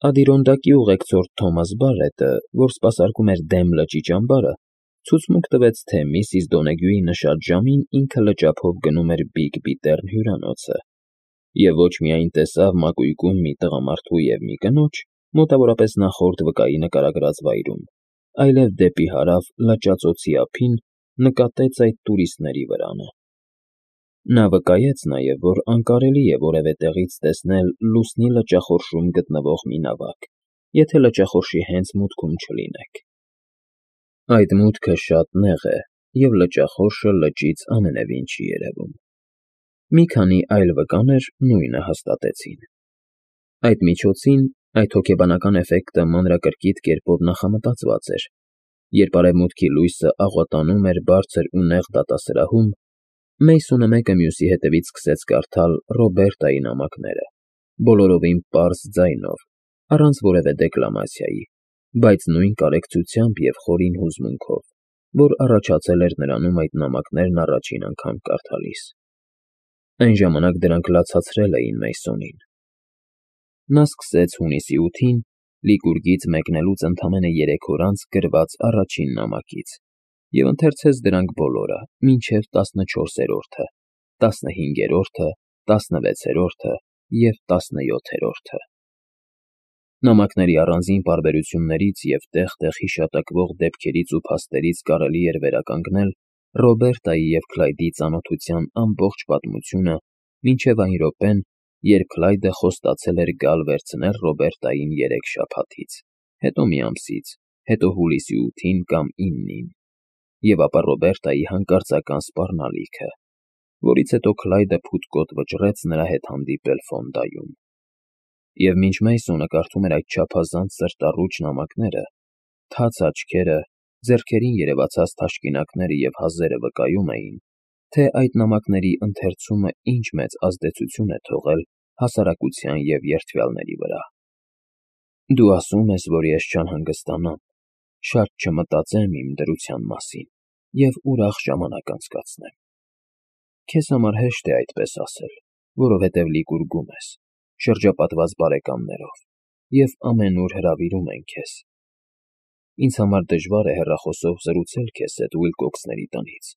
Ադիրոնդակի ուղեկցորդ Թոմաս Բարետը, որ սպասարկում էր Դեմ լճի ճամբարը, ցուցմունք տվեց, թե միսիս Դոնեգյուի նշած ժամին ինքը լճափով գնում էր Բիգ Բիթեռն հյուրանոցը, և ոչ միայն տեսավ մակույկում մի տղամարդու և մի կնոջ, մոտավորապես նախորդ վկայի նկարագրած վայրում, այլև դեպի հարավ լճածոցի ափին նկատեց այդ տուրիստների վրանը։ Նա վկայեց նաև, որ անկարելի է որևէ տեղից տեսնել լուսնի լճախորշում գտնվող մի նավակ, եթե լճախորշի հենց մուտքում չլինեք։ Այդ մուտքը շատ նեղ է, և լճախորշը լճից ամենևին չի երևում։ Մի քանի այլ վկաներ նույնը հաստատեցին։ Այդ միջոցին այդ հոգեբանական էֆեկտը մանրակրկիտ կերպով նախամտածված էր, երբ արևմուտքի լույսը աղոտանում էր բարձր ու նեղ դատասրահում, Մեյսոնը մեկը մյուսի հետևից սկսեց կարդալ Ռոբերտայի նամակները, բոլորովին պարզ ձայնով, առանց որևէ դեկլամացիայի, բայց նույն կարեկցությամբ և խորին հուզմունքով, որ առաջացել էր նրանում այդ նամակներն առաջին անգամ կարդալիս։ Այն ժամանակ դրանք լացացրել էին Մեյսոնին։ Նա սկսեց հունիսի 8-ին, Լիկուրգից մեկնելուց ընդամենը 3 օր անց գրված առաջին նամակից և ընթերցեց դրանք բոլորը, մինչև 14-րդը, 15-րդը, 16-րդը և 17-րդը։ Նամակների առանձին պարբերություններից և տեղ-տեղ հիշատակվող դեպքերից ու փաստերից կարելի էր վերականգնել Ռոբերտայի և Քլայդի ծանոթության ամբողջ պատմությունը մինչև այն րոպեն, երբ Քլայդը խոստացել էր գալ վերցնել Ռոբերտային 3 շաբաթից, հետո մի ամսից, հետո հուլիսի 8-ին կամ 9-ին, և ապա Ռոբերտայի հանկարծական սպառնալիքը, որից հետո Քլայդը փութկոտ վճռեց նրա հետ հանդիպել Ֆոնդայում։ Եվ մինչ Մեյսոնը կարդում էր այդ չափազանց սրտառուչ նամակները, թաց աչքերը, ձեռքերին երևացած թաշկինակները և հազերը վկայում էին, թե այդ նամակների ընթերցումը ինչ մեծ ազդեցություն է թողել հասարակության և երդվյալների վրա։ Դու ասում ես, որ ես չանհանգստանամ, շատ չմտածեմ իմ դրության մասին և ուրախ ժամանակ անցկացնեմ։ Քեզ համար հեշտ է այդպես ասել, որովհետև Լիկուրգում ես, շրջապատված բարեկամներով, և ամենուր հրավիրում են քեզ։ Ինձ համար դժվար է հեռախոսով զրուցել քեզ հետ Ուիլկոքսների տնից,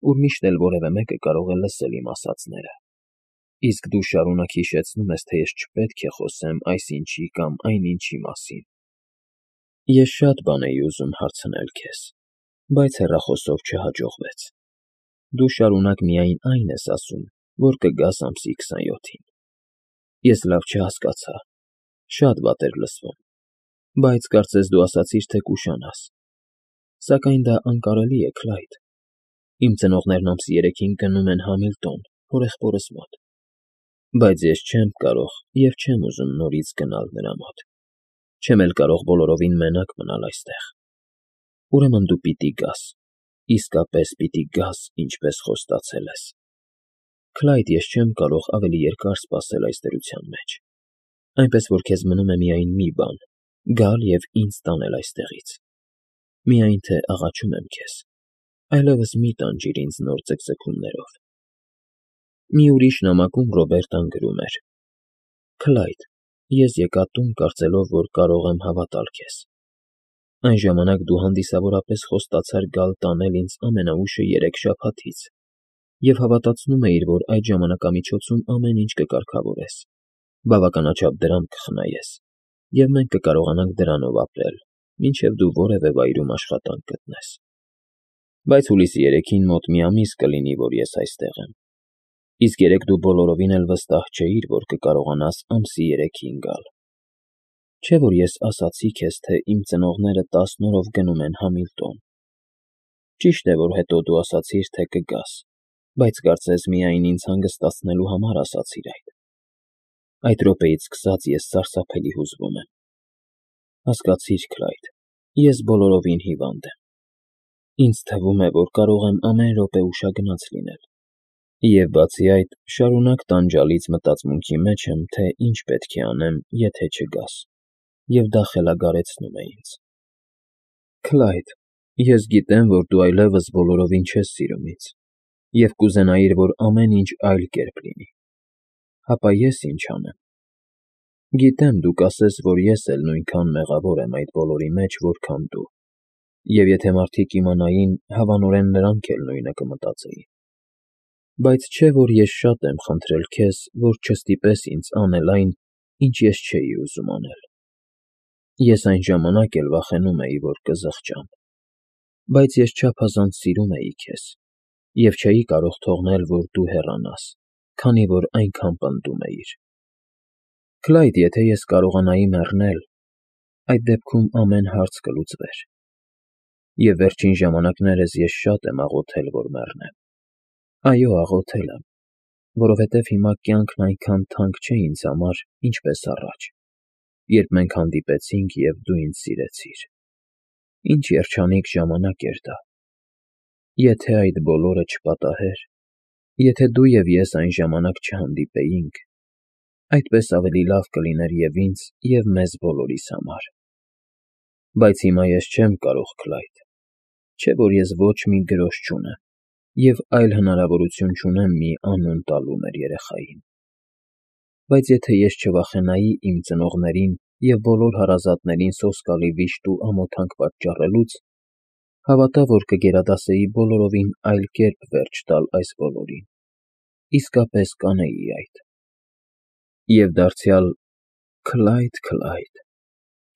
ուր միշտ էլ որևէ մեկը կարող է լսել իմ ասածները, իսկ դու շարունակ հիշեցնում ես, թե ես չպետք է խոսեմ այսինչի կամ այնինչի մասին։ Ես շատ բան էի ուզում հարցնել քեզ, բայց հեռախոսով չհաջողվեց։ Դու շարունակ միայն այն ես ասում, որ կգաս ամսի 27-ին։ Ես լավ չհասկացա, շատ վատ էր լսվում, բայց կարծես դու ասացիր, թե կուշանաս։ Սակայն դա անկարելի է, Քլայդ։ Իմ ծնողներն ամսի 3-ին գնում են Համիլտոն, հորեղբորս մոտ, բայց ես չեմ կարող և չեմ ուզում նորից գնալ նրա մոտ, չեմ էլ կարող բոլորովին մենակ մնալ այստեղ։ Ուրեմն դու պիտի գաս, իսկապես պիտի գաս, ինչպես խոստացել ես։ Քլայդ, ես չեմ կարող ավելի երկար սպասել այս դրության մեջ, այնպես որ քեզ մնում է միայն մի բան՝ գալ և ինձ տանել այստեղից։ Միայն թե աղաչում եմ քեզ, այլևս մի տանջիր ինձ նոր ձգձգումներով։ Մի ուրիշ նամակում Ռոբերտան գրում էր. Քլայդ, ես եկա տուն, կարծելով, որ կարող եմ հավատալ քեզ։ Այն ժամանակ դու հանդիսավորապես խոստացար գալ տանել ինձ ամենաուշը 3 շաբաթից և հավատացնում էիր, որ այդ ժամանակամիջոցում ամեն ինչ կկարգավորես, բավականաչափ դրամ կխնայես, և մենք կկարողանանք դրանով ապրել, մինչև դու որևէ վայրում աշխատանք գտնես։ Բայց հուլիսի 3-ին մոտ մի ամիս կլինի, որ ես այստեղ եմ, իսկ երեկ դու բոլորովին էլ վստահ չէիր, որ կկարողանաս ամսի 3-ին գալ։ Չէ՞ որ ես ասացի քեզ, թե իմ ծնողները 10 օրով գնում են Համիլտոն։ Ճիշտ է, որ հետո դու ասացիր, թե կգաս, բայց կարծես միայն ինձ հանգստացնելու համար ասացիր այդ։ Այդ րոպեից սկսած ես սարսափելի հուզվում եմ։ Հասկացիր, Քլայդ, ես բոլորովին հիվանդ եմ։ Ինձ թվում է, որ կարող եմ ամեն րոպե ուշագնաց լինել։ Եվ բացի այդ, շարունակ տանջալից մտածմունքի մեջ եմ, թե ինչ պետք է անեմ, եթե չգաս, և դա խելագարեցնում է ինձ։ Քլայդ, ես գիտեմ, որ դու այլևս բոլորովին չես սիրում ինձ, և կուզենայիր, որ ամեն ինչ այլ կերպ լինի։ Հապա ես ինչ անեմ։ Գիտեմ, դու կասես, որ ես էլ նույնքան մեղավոր եմ այդ բոլորի մեջ, որքան դու, և եթե մարդիկ իմանային, հավանորեն նրանք էլ նույնը կմտածեին։ Բայց չէ՞ որ ես շատ եմ խնդրել քեզ, որ չստիպես ինձ անել այն, ինչ ես չէի ուզում անել։ Ես այն ժամանակ էլ վախենում էի, որ կզղջամ, բայց ես չափազանց սիրում էի քեզ և չէի կարող թողնել, որ դու հեռանաս, քանի որ այնքան պնդում էիր։ Քլայդ, եթե ես կարողանայի մեռնել, այդ դեպքում ամեն հարց կլուծվեր։ Եվ վերջին ժամանակներս ես շատ եմ աղոթել, որ մեռնեմ։ Այո, աղոթել եմ, որովհետև հիմա կյանքն այնքան թանկ չէ ինձ համար, ինչպես առաջ, երբ մենք հանդիպեցինք և դու ինձ սիրեցիր։ Ինչ երջանիկ ժամանակ էր դա։ Եթե այդ բոլորը չպատահեր, եթե դու և ես այն ժամանակ չհանդիպեինք, այդպես ավելի լավ կլիներ և ինձ, և մեզ բոլորիս համար։ Բայց հիմա ես չեմ կարող, Քլայդ, չէ՞ որ ես ոչ մի գրոշ չունեմ և այլ հնարավորություն չունեմ մի անուն տալու մեր երեխային։ Բայց եթե ես չվախենայի իմ ծնողներին և բոլոր հարազատներին սոսկալի վիշտ ու ամոթանք պատճառելուց, հավատա, որ կգերադասեի բոլորովին այլ կերպ վերջ տալ այս բոլորին, իսկապես կանեի այդ։ Եվ դարձյալ, Քլայդ,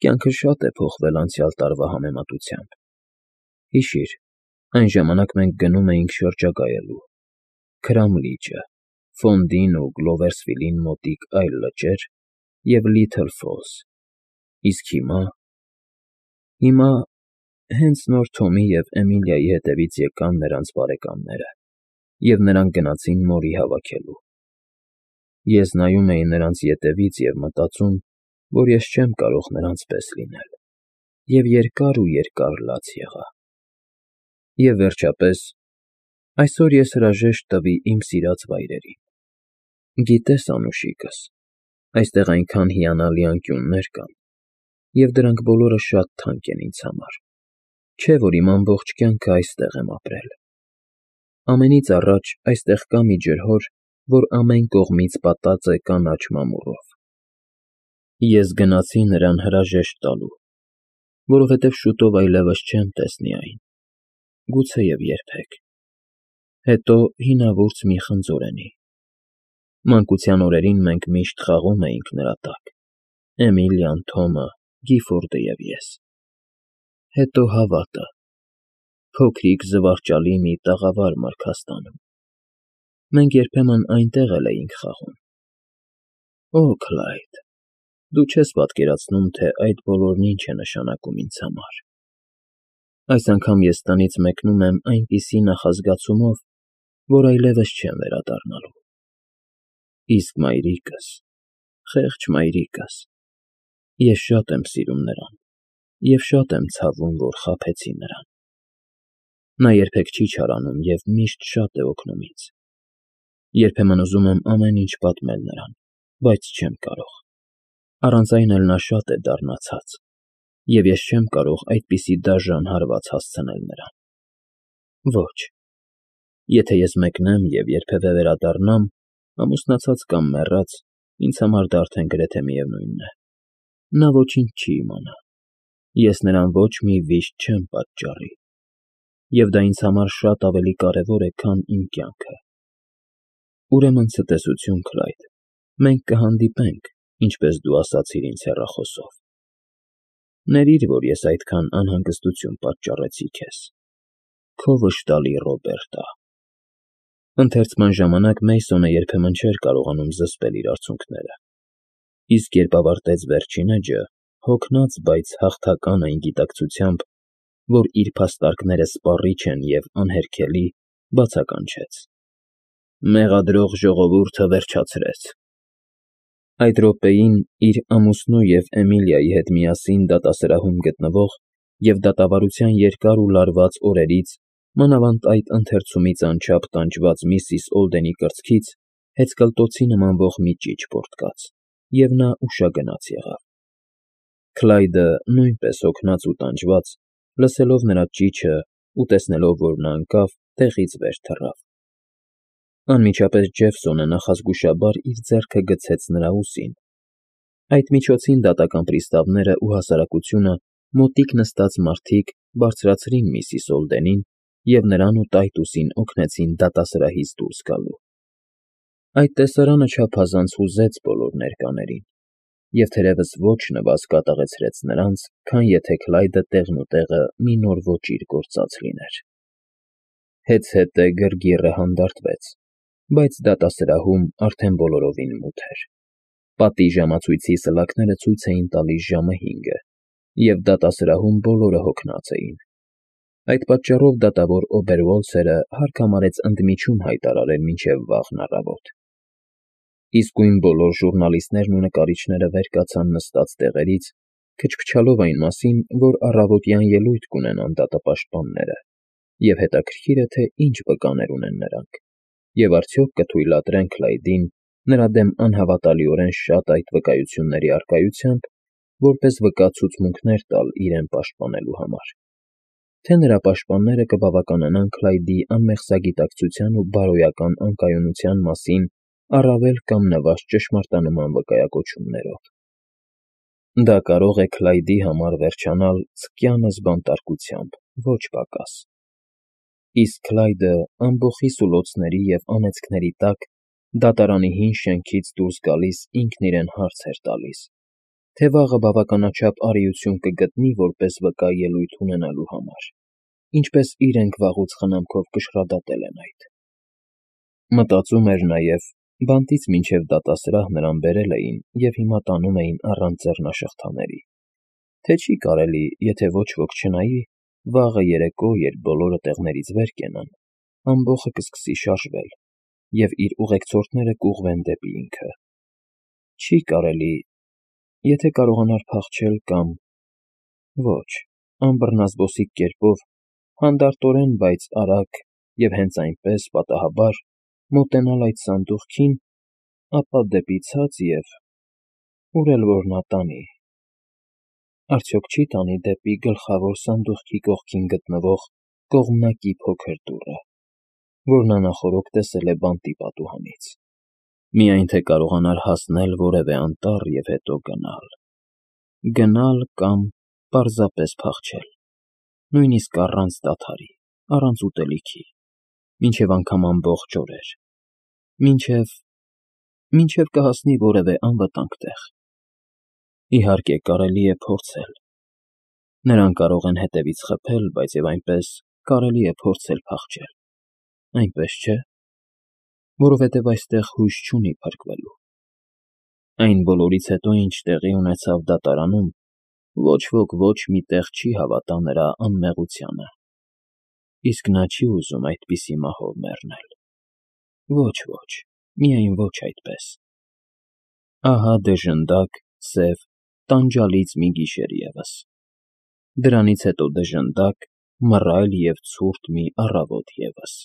կյանքը շատ է փոխվել անցյալ տարվա համեմատությամբ։ Հիշիր, այն ժամանակ մենք գնում էինք շրջագայելու. Քրամլիճը, Ֆոնդին ու Գլովերսվիլին մոտիկ այլ լճեր և Լիթլ Ֆոլս, իսկ հիմա… Հենց նոր Թոմի և Էմիլիայի հետևից եկան նրանց բարեկամները, և նրանք գնացին մորի հավաքելու։ Ես նայում էի նրանց ետևից և մտածում, որ ես չեմ կարող նրանց պես լինել, և երկար լաց եղա։ Եվ վերջապես, այսօր ես հրաժեշտ տվի իմ սիրած վայրերին։ Գիտես, անուշիկս, այստեղ այնքան հիանալի անկյուններ կան, և դրանք բոլորը շատ թանկ են ինձ համար, չէ՞ որ իմ ամբողջ կյանքը այստեղ եմ ապրել։ Ամենից առաջ այստեղ կա մի ջրհոր, որ ամեն կողմից պատած է կանաչ մամուռով։ Ես գնացի նրան հրաժեշտ տալու, որովհետև շուտով այլևս չեմ տեսնի այն, գուցեև երբեք։ Հետո հինավուրց մի խնձորենի։ Մանկության օրերին մենք միշտ խաղում էինք նրա տակ՝ Էմիլիան, Թոմը, Գիֆորդը և ես։ Հետո հավատը, փոքրիկ զվարճալի մի տաղավար Մարգաստանում։ Մենք երբեմն այնտեղ էլ էինք խաղում։ Օ, Քլայդ, դու չես պատկերացնում, թե այդ բոլորն ինչ է նշանակում ինձ համար։ Այս անգամ ես տնից մեկնում եմ այնպիսի նախազգացումով, որ այլևս չեմ վերադառնալու։ Իսկ մայրիկս… խեղճ մայրիկս… Ես շատ եմ սիրում նրան և շատ եմ ցավում, որ խաբեցի նրան։ Նա երբեք չի չարանում և միշտ շատ է օգնում ինձ։ Երբեմն ուզում եմ ամեն ինչ պատմել նրան, բայց չեմ կարող։ Առանց այն էլ նա շատ է դառնացած, և ես չեմ կարող այդպիսի դաժան հարված հասցնել նրան։ Ոչ, եթե ես մեկնեմ և երբևէ վերադառնամ, ամուսնացած կամ մեռած, ինձ համար դա արդեն գրեթե միևնույն է։ Նա ոչինչ չի իմանա, ես նրան ոչ մի վիշտ չեմ պատճառի, և դա ինձ համար շատ ավելի կարևոր է, քան իմ կյանքը։ Ուրեմն ցտեսություն, Քլայդ, մենք կհանդիպենք, ինչպես դու ասացիր ինձ հեռախոսով։ Ներիր, որ ես այդքան անհանգստություն պատճառեցի քեզ։ Քո վշտալի Ռոբերտա։ Ընթերցման ժամանակ Մեյսոնը երբեմն չէր կարողանում զսպել իր արցունքները, իսկ երբ ավարտեց վերջին էջը, հոգնած, բայց հաղթական այն գիտակցությամբ, որ իր փաստարկները սպառիչ են և անհերքելի, բացականչեց. Մեղադրող ժողովուրդը վերջացրեց։ Այդ րոպեին իր ամուսնու և Էմիլիայի հետ միասին դատասրահում գտնվող և դատավարության երկար ու լարված օրերից, մանավանդ այդ ընթերցումից անչափ տանջված միսիս Օլդենի կրծքից հեծկլտոցի նմանվող մի ճիչ պոռթկաց, և նա ուշագնաց եղավ։ Քլայդը, նույնպես հոգնած ու տանջված, լսելով նրա ճիչն ու տեսնելով, որ նա ընկավ, տեղից վեր թռավ։ Անմիջապես Ջեֆսոնը նախազգուշաբար իր ձեռքը գցեց նրա ուսին, Այդ միջոցին դատական պրիստավները ու հասարակությունը մոտիկ նստած մարդիկ բարձրացրին միսիս Օլդենին և նրան ու Տայտուսին օգնեցին դատասրահից դուրս գալու։ Այդ տեսարանը չափազանց հուզեց բոլոր ներկաներին, և թերևս ոչ նվազ կատաղեցրեց նրանց, քան եթե Քլայդը տեղնուտեղը մի նոր ոճիր գործած լիներ։ Հետզհետե գրգիռը հանդարտվեց, բայց դատասրահում արդեն բոլորովին մութ էր։ Պատի ժամացույցի սլաքները ցույց էին տալիս ժամը 5-ը, և դատասրահում բոլորը հոգնած էին։ Այդ պատճառով դատավոր Օբերվոլցերը հարկ համարեց ընդմիջում հայտարարել մինչև վաղն առավոտ։ Իսկույն բոլոր ժուռնալիստներն ու նկարիչները վեր կացան նստած տեղերից, քչքչալով այն մասին, որ առավոտյան ելույթ կունենան դատապաշտպանները, և հետաքրքիր է, թե ինչ վկաներ ունեն նրանք, և արդյոք կթույլատրեն Քլայդին նրա դեմ անհավատալիորեն շատ այդ վկայությունների առկայությամբ, որպես վկա ցուցմունքներ տալ իրեն պաշտպանելու համար, թե նրա պաշտպանները կբավականանան Քլայդի անմեղսագիտակցության ու բարոյական անկայունության մասին առավել կամ նվազ ճշմարտանման վկայակոչումներով։ Դա կարող է Քլայդի համար վերջանալ ցկյանս բանտարկությամբ, ոչ պակաս։ Իսկ Քլայդը ամբոխի սուլոցների և անեծքների տակ դատարանի հին շենքից դուրս գալիս ինքն իրեն հարց էր տալիս, թե վաղը բավականաչափ արիություն կգտնի որպես վկա ելույթ ունենալու համար, ինչպես իրենք վաղուց խնամքով կշռադատել են այդ։ Մտածում էր նաև, բանտից մինչև դատասրահ նրան բերել էին և հիմա տանում էին առանց ձեռնաշղթաների, թե չի կարելի, եթե ոչ ոք չնայի, վաղը երեկո, երբ բոլորը տեղներից վեր կենան, ամբոխը կսկսի շարժվել, և իր ուղեկցորդները կուղղվեն դեպի ինքը։ Չի կարելի, եթե կարողանար փախչել կամ… Ոչ, անբռնազբոսիկ կերպով, հանդարտորեն, բայց արագ և հենց այնպես, պատահաբար, մոտենալ այդ սանդուղքին, ապա դեպի ցած և… ուր էլ որ նա տանի… Արդյոք չի՞ տանի դեպի գլխավոր սանդուղքի կողքին գտնվող կողմնակի փոքր դուռը, որ նա նախօրոք տեսել է բանտի պատուհանից։ Միայն թե կարողանար հասնել որևէ անտառ և հետո գնալ… Գնալ կամ պարզապես փախչել, նույնիսկ առանց դադարի, առանց ուտելիքի, մինչև անգամ ամբողջ օրեր, մինչև կհասնի որևէ անվտանգ տեղ։ Իհարկե, կարելի է փորձել։ Նրան կարող են հետևից խփել, բայց և այնպես կարելի է փորձել փախչել, այնպես չէ՞, որովհետև այստեղ հույս չունի փրկվելու։ Այն բոլորից հետո, ինչ տեղի ունեցավ դատարանում, ոչ ոք ոչ մի տեղ չի հավատա նրա անմեղությանը, իսկ նա չի ուզում այդպիսի մահով մեռնել։ Ոչ, միայն ոչ այդպես։ Ահա դժնդակ, սև, տանջալից մի գիշեր ևս։ Դրանից հետո դժնդակ, մռայլ և ցուրտ մի առավոտ ևս։